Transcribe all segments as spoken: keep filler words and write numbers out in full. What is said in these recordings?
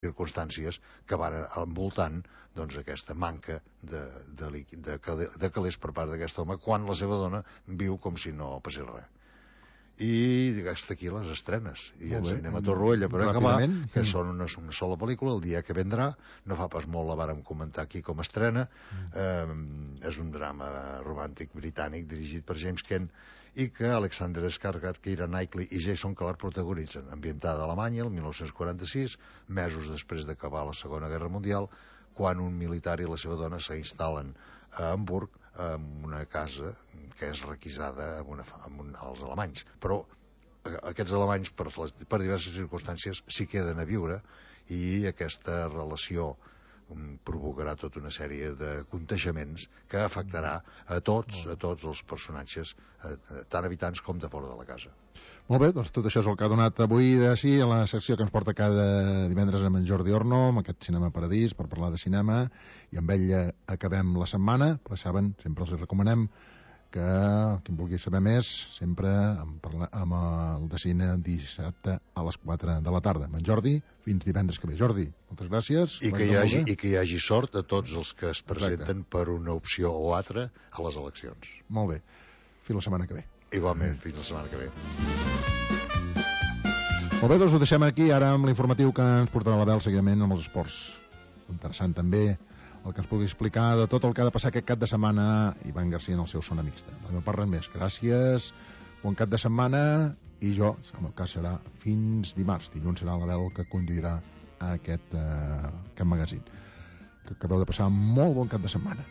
circumstàncies que van envoltant doncs, aquesta manca de, de, de, de calés per part d'aquest home quan la seva dona viu com si no passés res. I hasta aquí les estrenes i ens anem a Torroella per acabar, que són una, una sola pel·lícula, El dia que vendrà. No fa pas molt la vàrem comentar aquí com a estrena. eh, és un drama romàntic britànic dirigit per James Kent i que Alexander Skarsgård, Keira Knightley i Jason Clarke protagonitzen, ambientada a Alemanya el dinou quaranta-sis, mesos després d'acabar la Segona Guerra Mundial, quan un militar i la seva dona s'instal·len a Hamburg en una casa que és requisada amb una, amb un, als alemanys, però aquests alemanys per, les, per diverses circumstàncies s'hi queden a viure i aquesta relació provocarà tota una sèrie de contagiaments que afectarà a tots, a tots els personatges, tant habitants com de fora de la casa. Molt bé, doncs tot això és el que ha donat avui de sí a la secció que ens porta cada divendres amb en Jordi Orno, amb aquest Cinema Paradís, per parlar de cinema, i amb ell acabem la setmana, però saben, sempre els recomanem que qui en vulgui saber més sempre amb, parla, amb el de cine dissabte a les quatre de la tarda. Amb en Jordi, fins divendres que ve. Jordi, moltes gràcies. I que hi hagi, i que hi hagi sort a tots els que es presenten Exacte. Per una opció o altra a les eleccions. Molt bé. Fins la setmana que ve. Igualment, fins la setmana que ve. Molt bé, doncs ho deixem aquí ara amb l'informatiu que ens portarà la Bel seguidament amb els esports. Interessant també el que ens pugui explicar de tot el que ha de passar aquest cap de setmana Ivan Garcia en el seu Zona Mixta. La meva part res més. Gràcies, bon cap de setmana i jo, en el cas serà fins dimarts. Dilluns serà la Bel que conduirà aquest, eh, aquest magazín. Que acabeu de passar molt bon cap de setmana.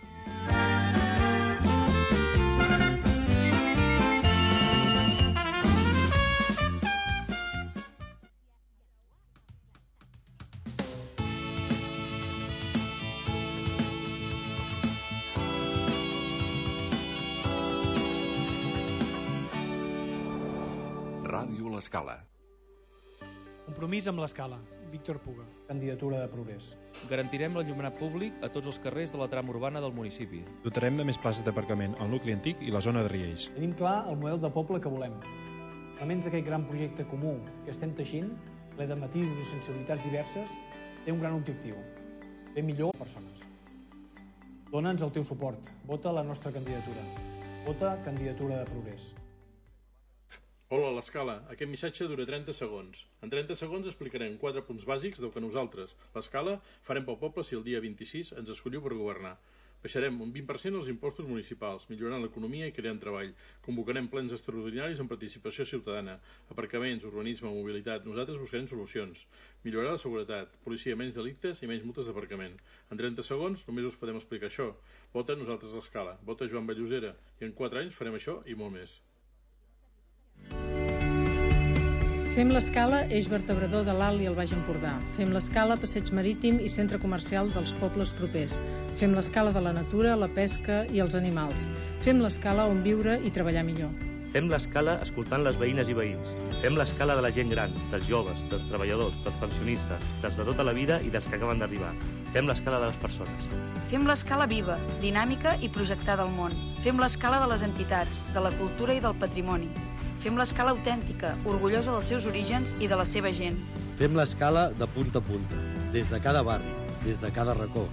L'Escala. Compromís amb l'Escala. Víctor Puga. Candidatura de Progrés. Garantirem l'enllumenat públic a tots els carrers de la trama urbana del municipi. Dotarem de més places d'aparcament al nucli antic i la zona de Riells. Tenim clar el model de poble que volem. Elements d'aquest gran projecte comú que estem teixint, ple de matisos i sensibilitats diverses, té un gran objectiu. Fer millor persones. Dóna'ns el teu suport. Vota la nostra candidatura. Vota Candidatura de Progrés. Hola, l'Escala. Aquest missatge dura trenta segons. En trenta segons explicarem quatre punts bàsics del que nosaltres, l'Escala, farem pel poble si el dia vint-i-sis ens escolliu per governar. Baixarem un vint per cent els impostos municipals, millorant l'economia i creant treball. Convocarem plens extraordinaris amb participació ciutadana, aparcaments, urbanisme, mobilitat. Nosaltres buscarem solucions. Millorar la seguretat, policia, menys delictes i menys multes d'aparcament. En trenta segons només us podem explicar això. Vota nosaltres l'Escala. Vota Joan Ballosera. I en quatre anys farem això i molt més. Fem l'Escala, eix vertebrador de l'Alt i el Baix Empordà. Fem l'Escala, passeig marítim i centre comercial dels pobles propers. Fem l'Escala de la natura, la pesca i els animals. Fem l'Escala on viure i treballar millor. Fem l'Escala escoltant les veïnes i veïns. Fem l'Escala de la gent gran, dels joves, dels treballadors, dels pensionistes, dels de tota la vida i dels que acaben d'arribar. Fem l'Escala de les persones. Fem l'Escala viva, dinàmica i projectada al món. Fem l'Escala de les entitats, de la cultura i del patrimoni. Fem l'Escala autèntica, orgullosa dels seus orígens i de la seva gent. Fem l'Escala de punta a punta, des de cada barri, des de cada racó,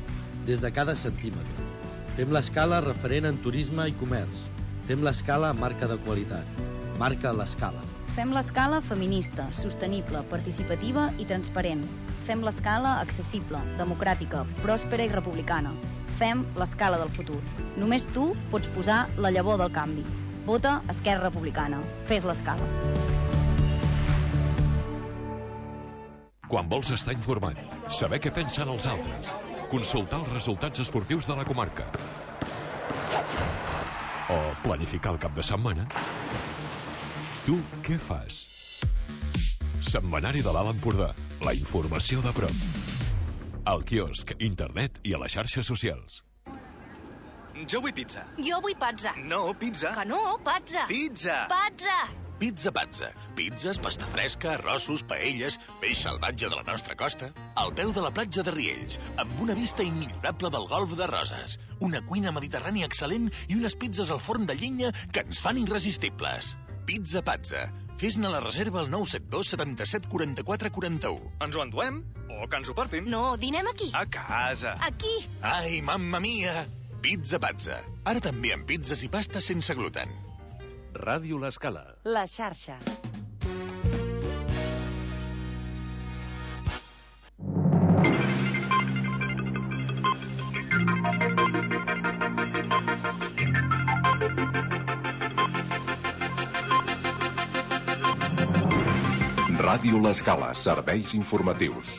des de cada centímetre. Fem l'Escala referent en turisme i comerç. Fem l'Escala marca de qualitat. Marca l'Escala. Fem l'Escala feminista, sostenible, participativa i transparent. Fem l'Escala accessible, democràtica, pròspera i republicana. Fem l'Escala del futur. Només tu pots posar la llavor del canvi. Vota Esquerra Republicana. Fes l'Escala. Quan vols estar informat, saber què pensen els altres, consultar els resultats esportius de la comarca o planificar el cap de setmana, tu què fas? Setmanari de l'Alt Empordà. La informació de prop. Al quiosc, internet i a les xarxes socials. Jo vull pizza. Jo vull pazza. No, pizza. Que no, pazza. Pizza. Pazza. Pizza Pazza. Pizzas, pasta fresca, arrossos, paelles, peix salvatge de la nostra costa. Al peu de la platja de Riells, amb una vista immillorable del golf de Roses. Una cuina mediterrània excel·lent i unes pizzas al forn de llenya que ens fan irresistibles. Pizza Pazza. Fes-ne la reserva al nou set dos setanta-set quaranta-quatre quaranta-u. Ens ho enduem o O que ens ho portin. No, dinem aquí. A casa. Aquí. Ai, mamma mia! Pizza Pazza. Ara també amb pizzas i pastes sense gluten. Ràdio L'Escala. La xarxa. Ràdio L'Escala, serveis informatius.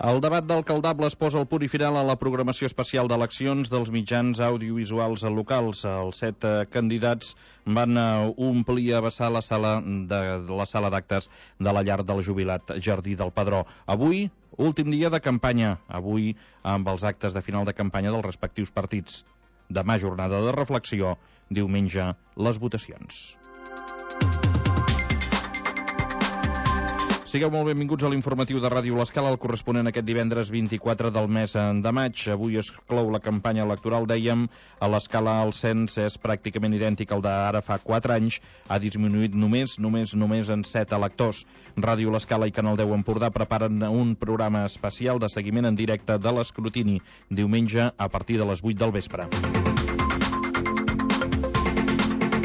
El debat d'alcaldables posa el punt i final a la programació especial d'eleccions dels mitjans audiovisuals locals. Els set candidats van omplir a vessar la sala de la sala d'actes de la llar del jubilat Jardí del Pedró. Avui, últim dia de campanya. Avui, amb els actes de final de campanya dels respectius partits. Demà, jornada de reflexió. Diumenge, les votacions. Sigueu molt benvinguts a l'informatiu de Ràdio L'Escala, el corresponent aquest divendres vint-i-quatre del mes de maig. Avui es clou la campanya electoral, dèiem. A l'Escala el cens és pràcticament idèntic al d'ara fa quatre anys. Ha disminuït només, només, només en set electors. Ràdio L'Escala i Canal deu Empordà preparen un programa especial de seguiment en directe de l'escrutini, diumenge a partir de les vuit del vespre.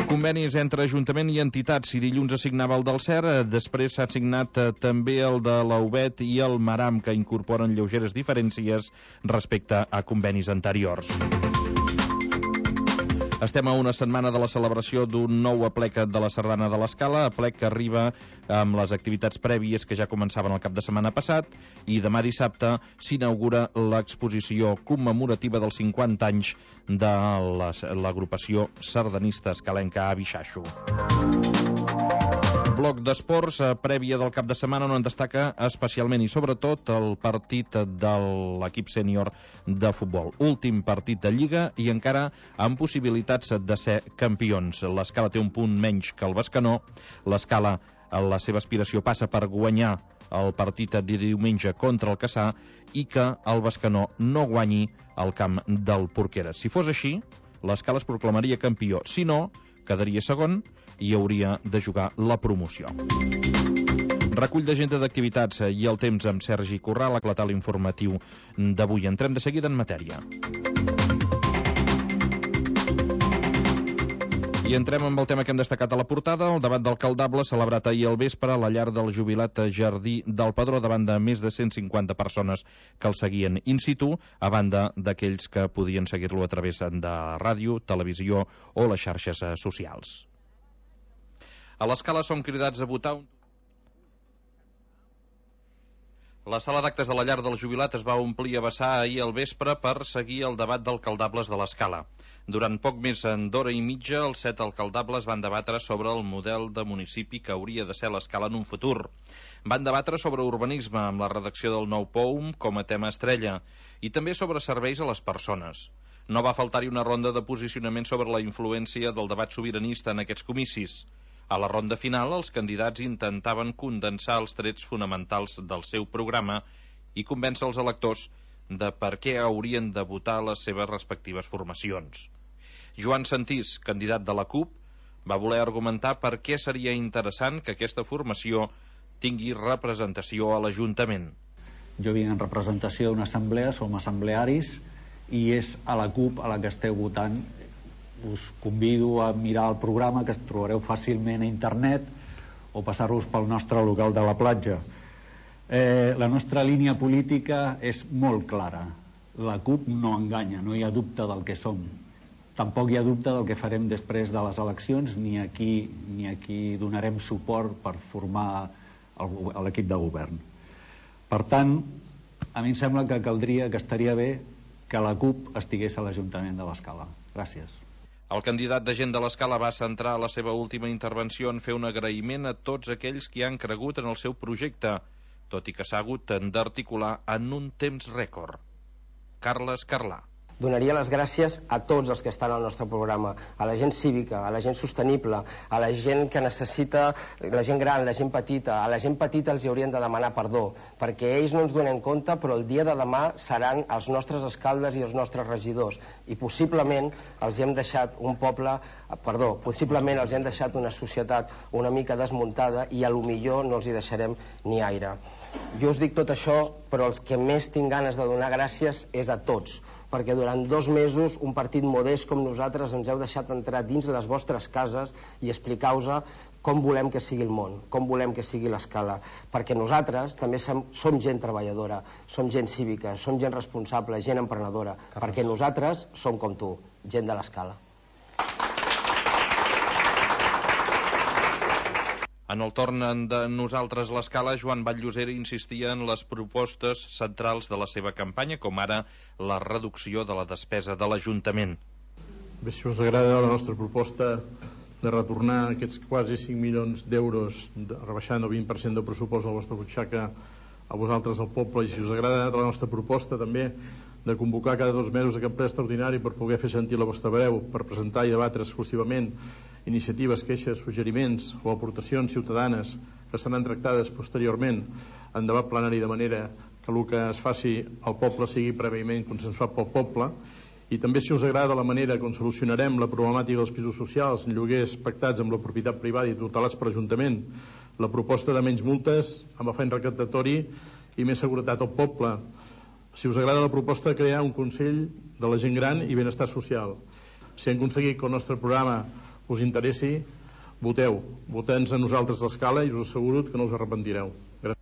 Convenis entre Ajuntament i entitats. Si dilluns es signava el del C E R, després s'ha signat també el de la U B E T i el Maram, que incorporen lleugeres diferències respecte a convenis anteriors. Estem a una setmana de la celebració d'un nou aplec de la Sardana de l'Escala, aplec que arriba amb les activitats prèvies que ja començaven el cap de setmana passat, i demà dissabte s'inaugura l'exposició commemorativa dels cinquanta anys de l'agrupació sardanista escalenca Abixaixo. Bloc d'esports, prèvia del cap de setmana, on en destaca especialment i sobretot el partit de l'equip sènior de futbol. Últim partit de Lliga i encara amb possibilitats de ser campions. L'Escala té un punt menys que el Bescanó. L'Escala, la seva aspiració passa per guanyar el partit de diumenge contra el Cassà i que el Bescanó no guanyi al camp del Porqueres. Si fos així, l'Escala es proclamaria campió. Si no, quedaria segon i hauria de jugar la promoció. Recull d'agenda d'activitats i el temps amb Sergi Corral, aclatar l'informatiu d'avui. Entrem de seguida en matèria. I entrem amb el tema que hem destacat a la portada, el debat d'alcaldable celebrat ahir al vespre a la llar del jubilat Jardí del Pedró davant de més de cent cinquanta persones que el seguien in situ, a banda d'aquells que podien seguir-lo a través de ràdio, televisió o les xarxes socials. A l'Escala som cridats a votar un... La sala d'actes de la llar del jubilat es va omplir a vessar ahir al vespre per seguir el debat d'alcaldables de l'Escala. Durant poc més d'hora i mitja, els set alcaldables van debatre sobre el model de municipi que hauria de ser l'Escala en un futur. Van debatre sobre urbanisme, amb la redacció del nou P O U M com a tema estrella, i també sobre serveis a les persones. No va faltar-hi una ronda de posicionament sobre la influència del debat sobiranista en aquests comicis. A la ronda final, els candidats intentaven condensar els trets fonamentals del seu programa i convèncer els electors de per què haurien de votar les seves respectives formacions. Joan Santís, candidat de la C U P, va voler argumentar per què seria interessant que aquesta formació tingui representació a l'Ajuntament. Jo vinc en representació d'una assemblea, som assemblearis, i és a la C U P a la que esteu votant. Us convido a mirar el programa, que es trobareu fàcilment a internet, o passar-vos pel nostre local de la platja. Eh, la nostra línia política és molt clara. La C U P no enganya, no hi ha dubte del que som. Tampoc hi ha dubte del que farem després de les eleccions, ni aquí, ni aquí donarem suport per formar l'equip de govern. Per tant, a mi em sembla que caldria, que estaria bé que la C U P estigués a l'Ajuntament de l'Escala. Gràcies. El candidat de Gent de l'Escala va centrar la seva última intervenció en fer un agraïment a tots aquells que han cregut en el seu projecte, tot i que s'ha hagut d'articular en un temps rècord. Carles Carlà. Donaria les gràcies a tots els que estan al nostre programa, a la gent cívica, a la gent sostenible, a la gent que necessita, la gent gran, la gent petita. A la gent petita els hi haurien de demanar perdó, perquè ells no ens donen compte, però el dia de demà seran els nostres alcaldes i els nostres regidors, i possiblement els hem deixat un poble, perdó, possiblement els hem deixat una societat una mica desmuntada i a lo millor no els hi deixarem ni aire. Jo us dic tot això, però els que més tinc ganes de donar gràcies és a tots, perquè durant dos mesos un partit modest com nosaltres ens heu deixat entrar dins les vostres cases i explicar-vos com volem que sigui el món, com volem que sigui l'Escala, perquè nosaltres també som, som gent treballadora, som gent cívica, som gent responsable, gent emprenedora, perquè nosaltres som com tu, gent de l'Escala. En el torn de Nosaltres l'Escala, Joan Batllosera insistia en les propostes centrals de la seva campanya, com ara la reducció de la despesa de l'Ajuntament. Bé, si us agrada la nostra proposta de retornar aquests quasi cinc milions d'euros, rebaixant el vint per cent del pressupost de la vostra butxaca a vosaltres, al poble, i si us agrada la nostra proposta també de convocar cada dos mesos aquest ple extraordinari per poder fer sentir la vostra veu, per presentar i debatre exclusivament iniciatives, queixes, suggeriments o aportacions ciutadanes que seran tractades posteriorment en debat plenari, de manera que el que es faci al poble sigui prèviament consensuat pel poble. I també, si us agrada, la manera com solucionarem la problemàtica dels pisos socials en lloguers pactats amb la propietat privada i tutelats per Ajuntament, la proposta de menys multes amb afany recaptatori i més seguretat al poble. Si us agrada la proposta de crear un Consell de la gent gran i benestar social. Si hem aconseguit que el nostre programa us interessi, voteu. Voteu-nos a Nosaltres l'Escala i us asseguro que no us arrepentireu. Gràcies.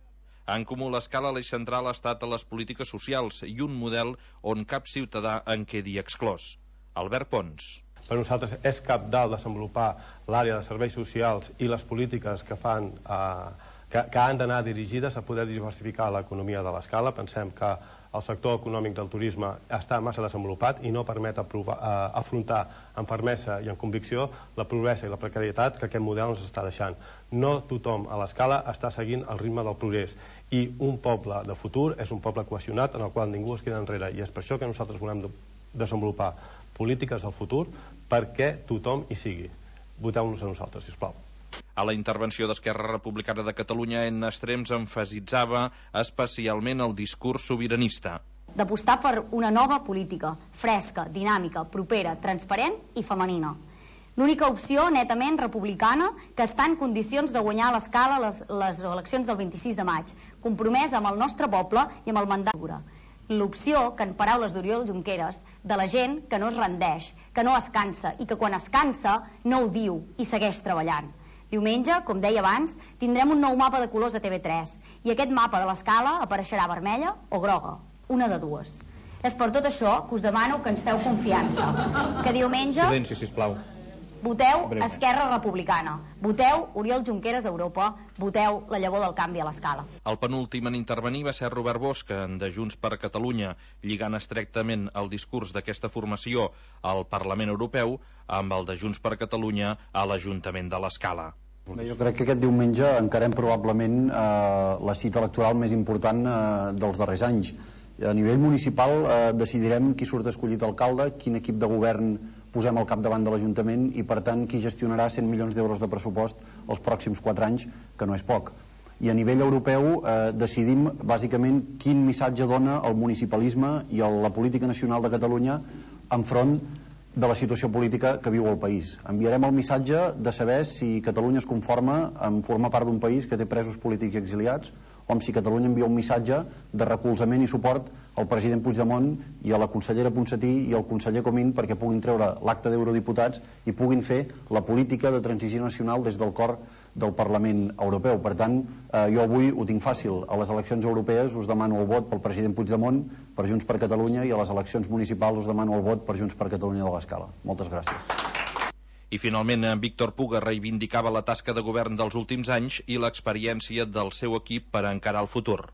En Comú l'Escala, l'eix central ha estat a les polítiques socials i un model on cap ciutadà en quedi exclòs. Albert Pons. Per nosaltres és cabdal desenvolupar l'àrea de serveis socials i les polítiques que fan eh, que, que han d'anar dirigides a poder diversificar l'economia de l'Escala. Pensem que el sector econòmic del turisme està massa desenvolupat i no permet aprovar, eh, afrontar amb fermesa i amb convicció la pobresa i la precarietat que aquest model ens està deixant. No tothom a l'Escala està seguint el ritme del progrés, i un poble de futur és un poble cohesionat en el qual ningú es queda enrere, i és per això que nosaltres volem de desenvolupar polítiques del futur perquè tothom hi sigui. Voteu-nos a nosaltres, sisplau. A la intervenció d'Esquerra Republicana de Catalunya, en Estrems emfasitzava especialment el discurs sobiranista. D'apostar per una nova política, fresca, dinàmica, propera, transparent i femenina. L'única opció netament republicana que està en condicions de guanyar a l'Escala les, les eleccions del vint-i-sis de maig, compromès amb el nostre poble i amb el mandat. L'opció, que en paraules d'Oriol Junqueras, de la gent que no es rendeix, que no es cansa i que quan es cansa no ho diu i segueix treballant. Diumenge, com deia abans, tindrem un nou mapa de colors a T V tres i aquest mapa de l'Escala apareixerà vermella o groga, una de dues. És per tot això que us demano que ens feu confiança, que diumenge Silenci, sisplau. voteu Esquerra Republicana, voteu Oriol Junqueras a Europa, voteu la llavor del canvi a l'Escala. El penúltim en intervenir va ser Robert Bosch, de Junts per Catalunya, lligant estrictament el discurs d'aquesta formació al Parlament Europeu amb el de Junts per Catalunya a l'Ajuntament de l'Escala. Bé, jo crec que aquest diumenge encarem probablement eh, la cita electoral més important eh, dels darrers anys. A nivell municipal eh, decidirem qui surt escollit alcalde, quin equip de govern posem al capdavant de l'Ajuntament i, per tant, qui gestionarà cent milions d'euros de pressupost els pròxims quatre anys, que no és poc. I a nivell europeu eh, decidim, bàsicament, quin missatge dona el municipalisme i el, la política nacional de Catalunya enfront de la situació política que viu el país. Enviarem el missatge de saber si Catalunya es conforma en formar part d'un país que té presos polítics i exiliats, o si Catalunya envia un missatge de recolzament i suport al president Puigdemont i a la consellera Ponsatí i al conseller Comín perquè puguin treure l'acte d'eurodiputats i puguin fer la política de transició nacional des del cor del Parlament Europeu. Per tant, eh, jo avui ho tinc fàcil. A les eleccions europees us demano el vot pel president Puigdemont, per Junts per Catalunya, i a les eleccions municipals us demano el vot per Junts per Catalunya de l'Escala. Moltes gràcies. I finalment, Víctor Puga reivindicava la tasca de govern dels últims anys i l'experiència del seu equip per encarar el futur.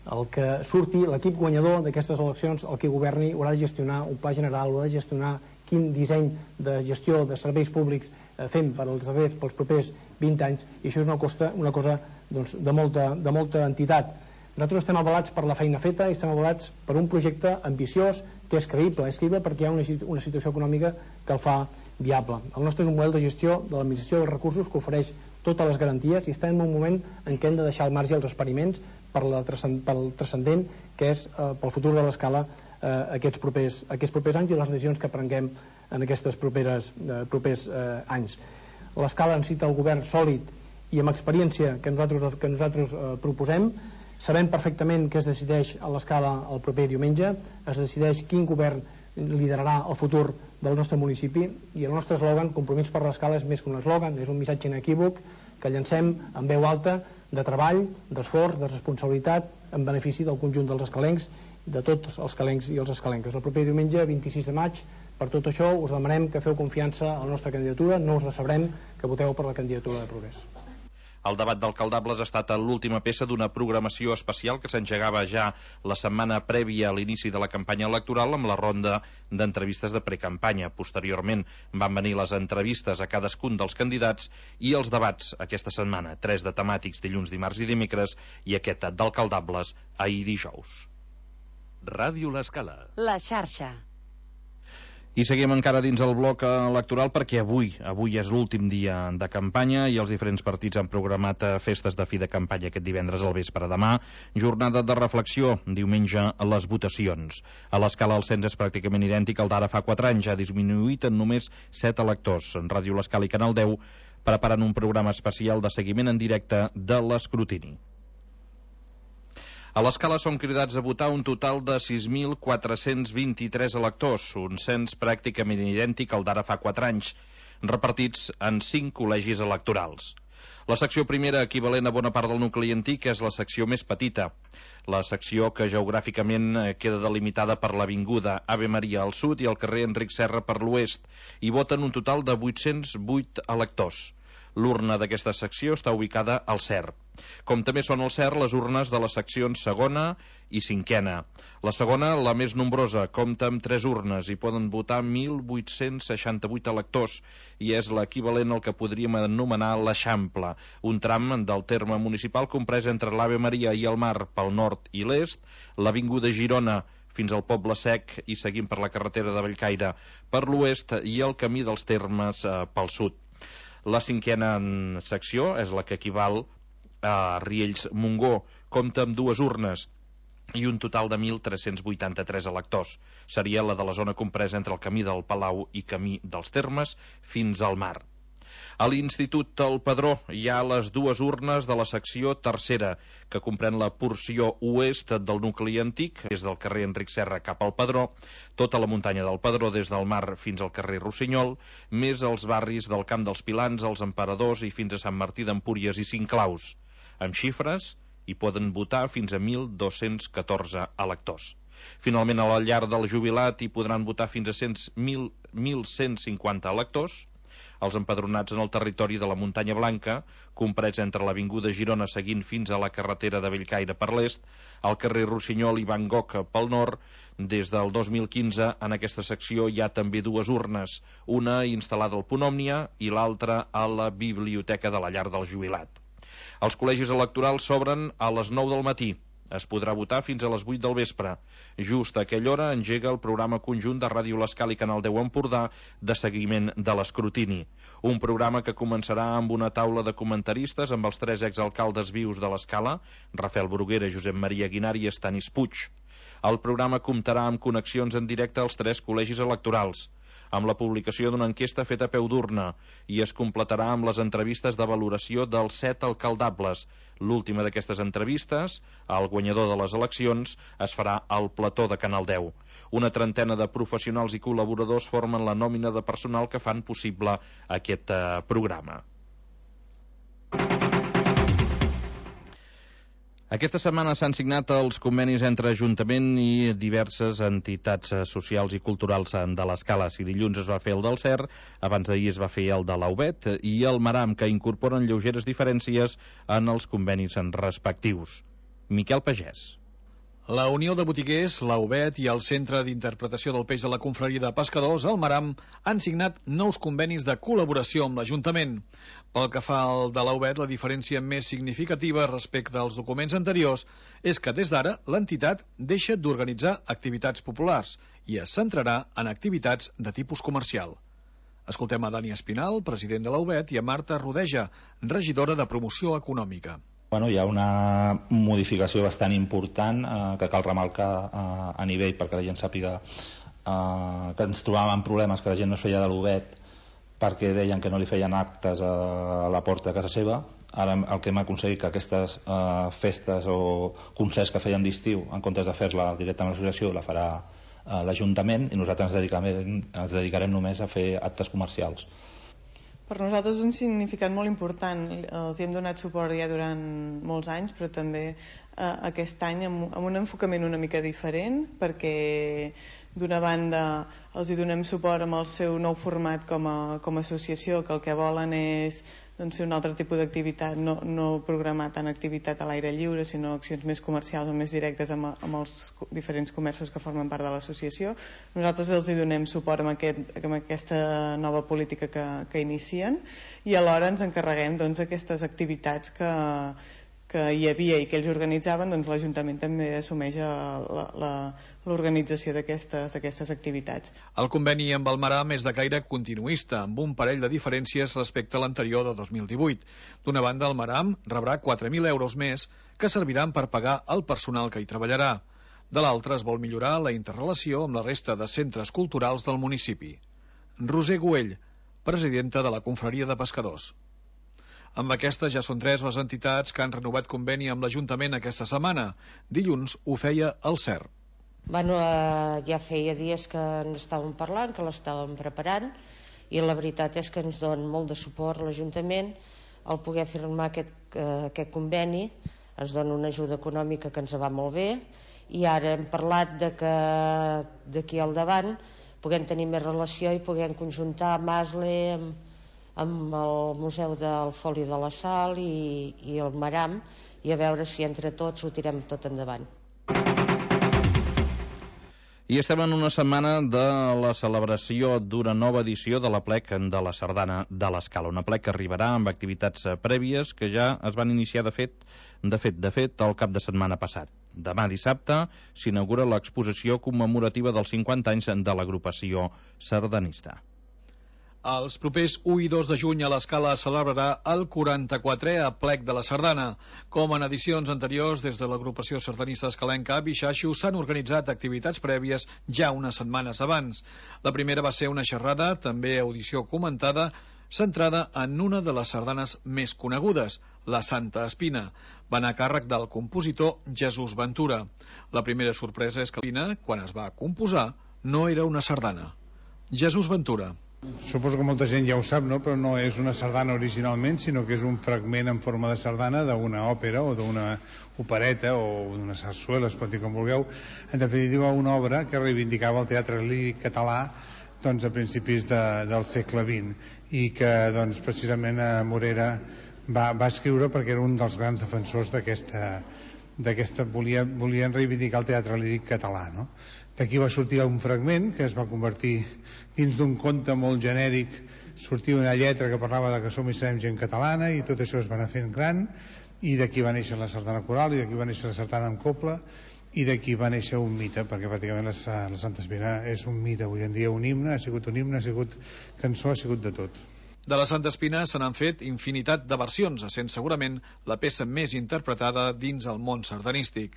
El que surti, l'equip guanyador d'aquestes eleccions, el que governi, haurà de gestionar un pla general, haurà de gestionar quin disseny de gestió de serveis públics eh, fem per als serveis pels propers vint anys, i això és una, costa, una cosa doncs, de, molta, de molta entitat. Nosaltres estem avalats per la feina feta i estem avalats per un projecte ambiciós que és creïble, és creïble perquè hi ha una, una situació econòmica que el fa viable. El nostre és un model de gestió de l'administració dels recursos que ofereix totes les garanties i estem en un moment en què hem de deixar al marge els experiments per la pel transcendent que és eh, pel futur de l'escala eh, aquests, propers, aquests propers anys i les decisions que prenguem en aquests properes, eh, propers eh, anys. L'escala necessita el govern sòlid i amb experiència que nosaltres, que nosaltres eh, proposem. Sabem perfectament què es decideix a l'escala el proper diumenge, es decideix quin govern liderarà el futur del nostre municipi i el nostre eslògan, Compromís per l'escala, és més que un eslògan, és un missatge inequívoc que llancem en veu alta de treball, d'esforç, de responsabilitat en benefici del conjunt dels escalencs, de tots els calencs i els escalenques. El proper diumenge, vint-i-sis de maig, per tot això us demanem que feu confiança a la nostra candidatura, no us decebrem que voteu per la candidatura de Progrés. El debat d'alcaldables ha estat l'última peça d'una programació especial que s'engegava ja la setmana prèvia a l'inici de la campanya electoral amb la ronda d'entrevistes de precampanya. Posteriorment van venir les entrevistes a cadascun dels candidats i els debats aquesta setmana, tres de temàtics dilluns, dimarts i dimecres i aquest d'alcaldables ahir dijous. Ràdio L'Escala. La xarxa. I seguim encara dins el bloc electoral perquè avui, avui és l'últim dia de campanya i els diferents partits han programat festes de fi de campanya aquest divendres al vespre. Demà, jornada de reflexió, diumenge les votacions. A l'escala el cens és pràcticament idèntic al d'ara fa quatre anys, ha disminuït en només set electors. En Ràdio L'Escala i Canal deu preparen un programa especial de seguiment en directe de l'escrutini. A l'escala són cridats a votar un total de sis mil quatre-cents vint-i-tres electors, un cens pràcticament idèntic al d'ara fa quatre anys, repartits en cinc col·legis electorals. La secció primera, equivalent a bona part del nucli antic, és la secció més petita, la secció que geogràficament queda delimitada per l'avinguda Ave Maria al sud i el carrer Enric Serra per l'oest, i voten un total de vuit-cents vuit electors. L'urna d'aquesta secció està ubicada al C E R. Com també són al C E R les urnes de les seccions segona i cinquena. La segona, la més nombrosa, compta amb tres urnes i poden votar mil vuit-cents seixanta-vuit electors i és l'equivalent al que podríem anomenar l'Eixample, un tram del terme municipal comprès entre l'Ave Maria i el Mar pel nord i l'est, l'avinguda Girona fins al Poble Sec i seguint per la carretera de Bellcaire per l'oest i el camí dels termes eh, pel sud. La cinquena secció és la que equival a Riells-Montgó, compta amb dues urnes i un total de mil tres-cents vuitanta-tres electors. Seria la de la zona compresa entre el camí del Palau i camí dels Termes fins al mar. A l'Institut del Padró hi ha les dues urnes de la secció tercera, que comprèn la porció oest del nucli antic, des del carrer Enric Serra cap al Padró, tota la muntanya del Padró des del mar fins al carrer Rossinyol, més els barris del Camp dels Pilans, els Emperadors i fins a Sant Martí d'Empúries i Cinclaus. Amb xifres, hi poden votar fins a mil dos-cents catorze electors. Finalment, a la llar del jubilat hi podran votar fins a mil cent cinquanta electors. Els empadronats en el territori de la Muntanya Blanca, comprets entre l'avinguda Girona seguint fins a la carretera de Bellcaire per l'est, al carrer Rossinyol i Van Gogh pel nord, des del dos mil quinze en aquesta secció hi ha també dues urnes, una instal·lada al Punt Òmnia i l'altra a la biblioteca de la llar del jubilat. Els col·legis electorals s'obren a les nou del matí. Es podrà votar fins a les vuit del vespre. Just a aquella hora engega el programa conjunt de Ràdio L'Escala i Canal deu Empordà de seguiment de l'escrutini. Un programa que començarà amb una taula de comentaristes amb els tres exalcaldes vius de l'Escala, Rafael Bruguera, Josep Maria Guinar i Estanis Puig. El programa comptarà amb connexions en directe als tres col·legis electorals, amb la publicació d'una enquesta feta a peu d'urna i es completarà amb les entrevistes de valoració dels set alcaldables. L'última d'aquestes entrevistes, al guanyador de les eleccions, es farà al plató de Canal deu. Una trentena de professionals i col·laboradors formen la nòmina de personal que fan possible aquest eh, programa. Aquesta setmana s'han signat els convenis entre Ajuntament i diverses entitats socials i culturals de l'Escala. Si dilluns es va fer el del C E R, abans d'ahir es va fer el de l'A U B E T i el Maram, que incorporen lleugeres diferències en els convenis respectius. Miquel Pagès. La Unió de Botiguers, la U B E T i el Centre d'Interpretació del Peix de la Confraria de Pescadors, el Maram, han signat nous convenis de col·laboració amb l'Ajuntament. Pel que fa al de la U B E T, la diferència més significativa respecte als documents anteriors és que des d'ara l'entitat deixa d'organitzar activitats populars i es centrarà en activitats de tipus comercial. Escoltem a Dani Espinal, president de la U B E T, i a Marta Rodeja, regidora de Promoció Econòmica. Bueno, hi ha una modificació bastant important eh, que cal remarcar eh, a nivell perquè la gent sàpiga eh, que ens trobàvem amb problemes que la gent no es feia de l'U B E T perquè deien que no li feien actes a, a la porta de casa seva. Ara el que hem aconseguit que aquestes eh, festes o concerts que feien d'estiu, en comptes de fer-la directament a l'associació, la farà eh, l'Ajuntament i nosaltres ens dedicarem, ens dedicarem només a fer actes comercials. Per nosaltres és un significat molt important. Els hem donat suport ja durant molts anys, però també eh, aquest any amb, amb un enfocament una mica diferent, perquè d'una banda els hi donem suport amb el seu nou format com a, com a associació, que el que volen és doncs, fer un altre tipus d'activitat, no, no programar tant activitat a l'aire lliure, sinó accions més comercials o més directes amb, amb els diferents comerços que formen part de l'associació. Nosaltres els hi donem suport amb, aquest, amb aquesta nova política que, que inicien i alhora ens encarreguem doncs, d'aquestes activitats que, que hi havia i que ells organitzaven, doncs l'Ajuntament també assumeix l'organització d'aquestes activitats. El conveni amb el Maram és de caire continuista, amb un parell de diferències respecte a l'anterior de dos mil divuit. D'una banda, el Maram rebrà quatre mil euros més que serviran per pagar el personal que hi treballarà. De l'altra, es vol millorar la interrelació amb la resta de centres culturals del municipi. Roser Güell, presidenta de la Confraria de Pescadors. Amb aquestes ja són tres les entitats que han renovat conveni amb l'Ajuntament aquesta setmana. Dilluns ho feia el C E R. Bueno, eh, ja feia dies que en estàvem parlant, que l'estàvem preparant, i la veritat és que ens dona molt de suport l'Ajuntament al poder firmar aquest, eh, aquest conveni. Ens dona una ajuda econòmica que ens va molt bé, i ara hem parlat de que d'aquí al davant puguem tenir més relació i puguem conjuntar Masle amb amb el Museu del Foli de la Sal i, i el Maram, i a veure si entre tots ho tirem tot endavant. I estem en una setmana de la celebració d'una nova edició de la plec de la Sardana de l'Escala, una plec que arribarà amb activitats prèvies que ja es van iniciar de fet, de fet, de fet, el cap de setmana passat. Demà dissabte s'inaugura l'exposició commemorativa dels cinquanta anys de l'agrupació sardanista. Els propers u i dos de juny a l'Escala celebrarà el quaranta-quatrè aplec de la Sardana. Com en edicions anteriors, des de l'agrupació sardanista escalenca a Bixaixo s'han organitzat activitats prèvies ja unes setmanes abans. La primera va ser una xerrada, també audició comentada, centrada en una de les sardanes més conegudes, la Santa Espina. Va anar a càrrec del compositor Jesús Ventura. La primera sorpresa és que l'Espina, quan es va composar, no era una sardana. Jesús Ventura. Suposo que molta gent ja ho sap, no? Però no és una sardana originalment, sinó que és un fragment en forma de sardana d'una òpera o d'una opereta o d'una sarsuela, es pot dir com vulgueu. En definitiva, una obra que reivindicava el teatre líric català doncs, a principis de, del segle vint i que doncs, precisament a Morera va, va escriure perquè era un dels grans defensors d'aquesta d'aquesta volia, volien reivindicar el teatre líric català, no? D'aquí va sortir un fragment que es va convertir dins d'un conte molt genèric, sortia una lletra que parlava de que som i serem gent catalana i tot això es va anar fent gran, i d'aquí va néixer la sardana coral i d'aquí va néixer la sardana amb copla i d'aquí va néixer un mite, perquè pràcticament la, la Santa Espina és un mite avui en dia, un himne, ha sigut un himne, ha sigut cançó, ha sigut de tot. De la Santa Espina se n'han fet infinitat de versions, essent segurament la peça més interpretada dins el món sardanístic.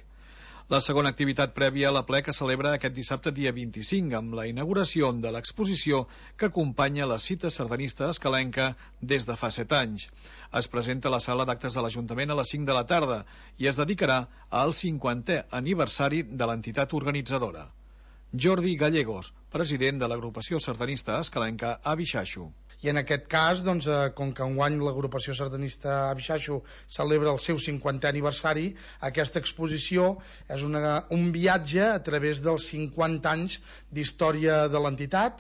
La segona activitat prèvia a la plec es celebra aquest dissabte dia vint-i-cinc amb la inauguració de l'exposició que acompanya la cita sardanista escalenca des de fa set anys. Es presenta a la sala d'actes de l'Ajuntament a les cinc de la tarda i es dedicarà al cinquantè aniversari de l'entitat organitzadora. Jordi Gallegos, president de l'agrupació sardanista escalenca a Bixaixo. I en aquest cas, doncs, eh, com que enguany l'agrupació sardanista a Bixaixo celebra el seu cinquantè aniversari, aquesta exposició és una, un viatge a través dels cinquanta anys d'història de l'entitat,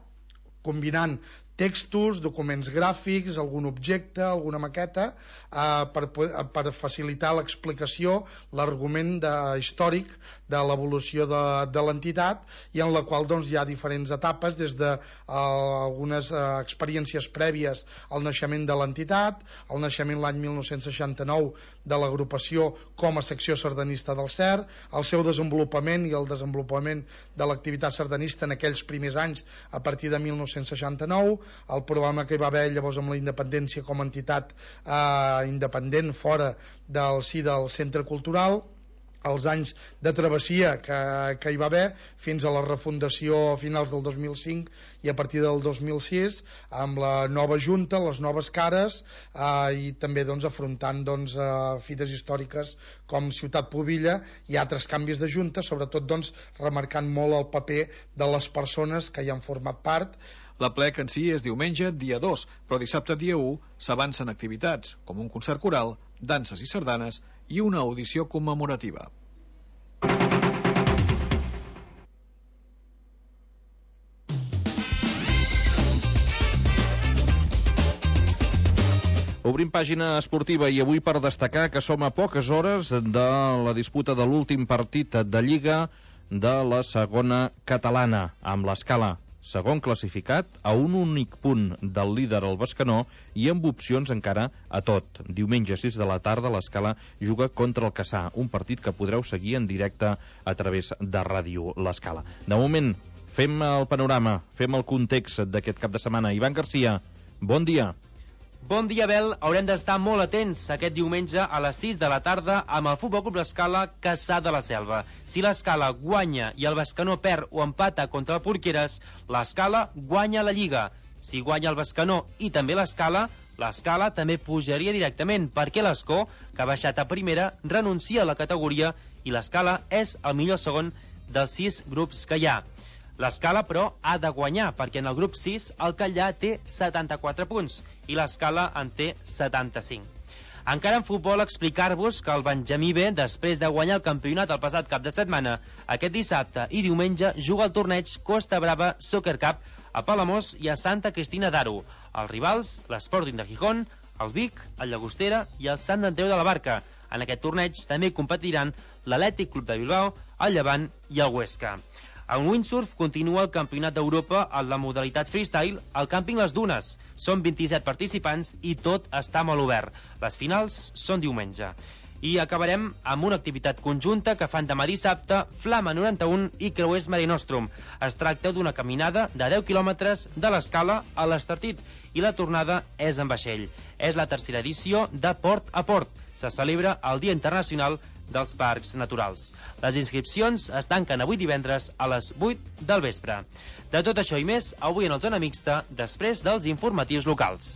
combinant textos, documents gràfics, algun objecte, alguna maqueta, eh, per, per facilitar l'explicació, l'argument de, històric de l'evolució de, de l'entitat, i en la qual doncs, hi ha diferents etapes, des de eh, algunes eh, experiències prèvies al naixement de l'entitat, el naixement l'any mil nou-cents seixanta-nou de l'agrupació com a secció sardanista del C E R, el seu desenvolupament i el desenvolupament de l'activitat sardanista en aquells primers anys a partir de mil nou-cents seixanta-nou, el problema que hi va haver llavors amb la independència com a entitat eh, independent fora del si del centre cultural, els anys de travessia que, que hi va haver fins a la refundació a finals del dos mil cinc i a partir del dos mil sis amb la nova junta, les noves cares eh, i també doncs, afrontant doncs, eh, fites històriques com Ciutat Pubilla i altres canvis de junta, sobretot doncs, remarcant molt el paper de les persones que hi han format part. L'aplec en si és diumenge, dia dos, però dissabte, dia u, s'avancen activitats, com un concert coral, danses i sardanes i una audició commemorativa. Obrim pàgina esportiva i avui per destacar que som a poques hores de la disputa de l'últim partit de Lliga de la segona catalana, amb l'Escala segon classificat, a un únic punt del líder el Bescanó i amb opcions encara a tot. Diumenge sis de la tarda l'Escala juga contra el Cassà, un partit que podreu seguir en directe a través de Ràdio l'Escala. De moment, fem el panorama, fem el context d'aquest cap de setmana. Ivan Garcia, bon dia. Bon dia, Bel. Haurem d'estar molt atents aquest diumenge a les sis de la tarda amb el Futbol Club L'Escala Cassà de la Selva. Si l'Escala guanya i el Bescanó perd o empata contra el Porqueres, l'Escala guanya la Lliga. Si guanya el Bescanó i també l'Escala, l'Escala també pujaria directament, perquè l'Escó, que ha baixat a primera, renuncia a la categoria i l'Escala és el millor segon dels sis grups que hi ha. L'Escala, però, ha de guanyar, perquè en el grup sis el Catllà té setanta-quatre punts i l'Escala en té setanta-cinc. Encara en futbol, explicar-vos que el Benjamí B, després de guanyar el campionat el passat cap de setmana, aquest dissabte i diumenge juga el torneig Costa Brava Soccer Cup a Palamós i a Santa Cristina d'Aro. Els rivals, l'Sporting de Gijón, el Vic, el Llagostera i el Sant Andreu de la Barca. En aquest torneig també competiran l'Atlètic Club de Bilbao, el Llevant i el Huesca. En windsurf continua el Campionat d'Europa en la modalitat freestyle al càmping Les Dunes. Són vint-i-set participants i tot està molt obert. Les finals són diumenge. I acabarem amb una activitat conjunta que fan demà dissabte Flama noranta un i Creuers Mare Nostrum. Es tracta d'una caminada de deu quilòmetres de l'Escala a l'Estartit i la tornada és en vaixell. És la tercera edició de Port a Port. Se celebra el Dia Internacional dels Parcs Naturals. Les inscripcions es tanquen avui divendres a les vuit del vespre. De tot això i més, avui en el Zona Mixta, després dels informatius locals.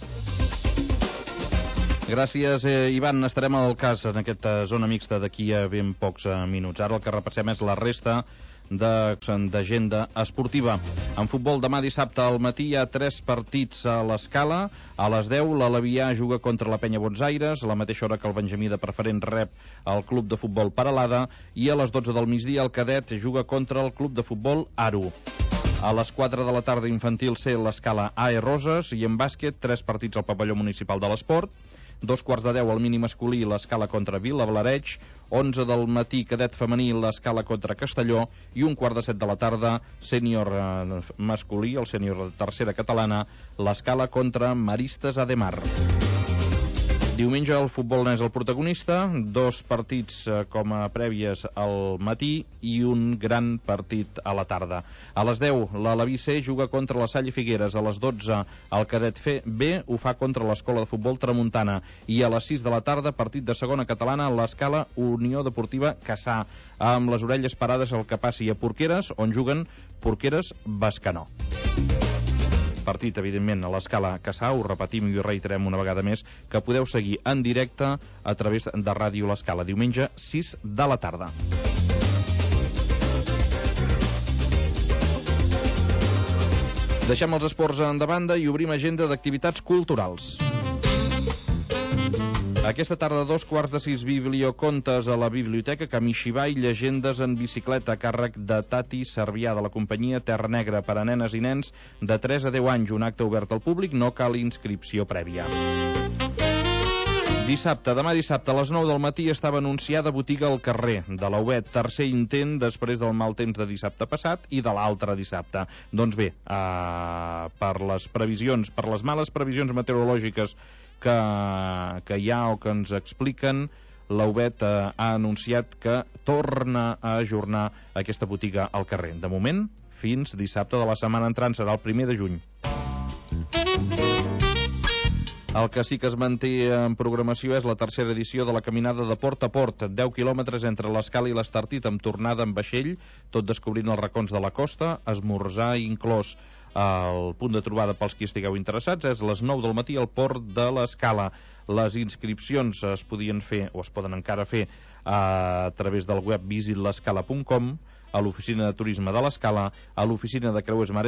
Gràcies, eh, Ivan. Estarem al cas en aquesta Zona Mixta d'aquí a ben pocs eh, minuts. Ara el que repassem és la resta d'agenda esportiva. En futbol, demà dissabte al matí hi ha tres partits a l'Escala. A les deu l'Alavià juga contra la Penya Bonsaires, a la mateixa hora que el Benjamí de Preferent rep el Club de Futbol Peralada, i a les dotze del migdia el Cadet juga contra el Club de Futbol Aro. A les quatre de la tarda infantil C l'Escala A E Roses, i en bàsquet tres partits al pavelló municipal de l'Esport. Dos quarts de deu al mini masculí l'Escala contra Vila-Blareig, onze del matí cadet femení l'Escala contra Castelló i un quart de set de la tarda sènior eh, masculí, el sènior de tercera catalana, l'Escala contra Maristes Ademar. Diumenge el futbol n'és el protagonista, dos partits eh, com a prèvies al matí i un gran partit a la tarda. A les deu l'Alaví C juga contra la Salle Figueres, a les dotze el Cadet B ho fa contra l'Escola de Futbol Tramuntana i a les sis de la tarda partit de segona catalana l'Escala Unió Deportiva Cassà, amb les orelles parades al que passi a Porqueres, on juguen Porqueres Bescanó. Partit, evidentment, a l'Escala Cassà, ho repetim i ho reiterem una vegada més, que podeu seguir en directe a través de Ràdio l'Escala, diumenge sis de la tarda. Deixem els esports en de banda i obrim agenda d'activitats culturals. Aquesta tarda, dos quarts de sis, bibliocontes a la biblioteca Kamishibai, llegendes en bicicleta a càrrec de Tati Servià, de la companyia Terra Negra, per a nenes i nens de tres a deu anys. Un acte obert al públic, no cal inscripció prèvia. Dissabte, demà dissabte, a les nou del matí estava anunciada botiga al carrer de l'Auet, tercer intent després del mal temps de dissabte passat i de l'altre dissabte. Doncs bé, eh, per les previsions, per les males previsions meteorològiques que, que hi ha o que ens expliquen, l'Auet eh, ha anunciat que torna a ajornar aquesta botiga al carrer. De moment, fins dissabte de la setmana entrant, serà el primer de juny. El que sí que es manté en programació és la tercera edició de la caminada de Port a Port, deu quilòmetres entre l'Escala i l'Estartit, amb tornada en vaixell, tot descobrint els racons de la costa, esmorzar inclòs. El punt de trobada pels qui estigueu interessats és les nou del matí al Port de l'Escala. Les inscripcions es podien fer, o es poden encara fer, a través del web visit l'escala punt com, a l'oficina de turisme de l'Escala, a l'oficina de Creuers Mare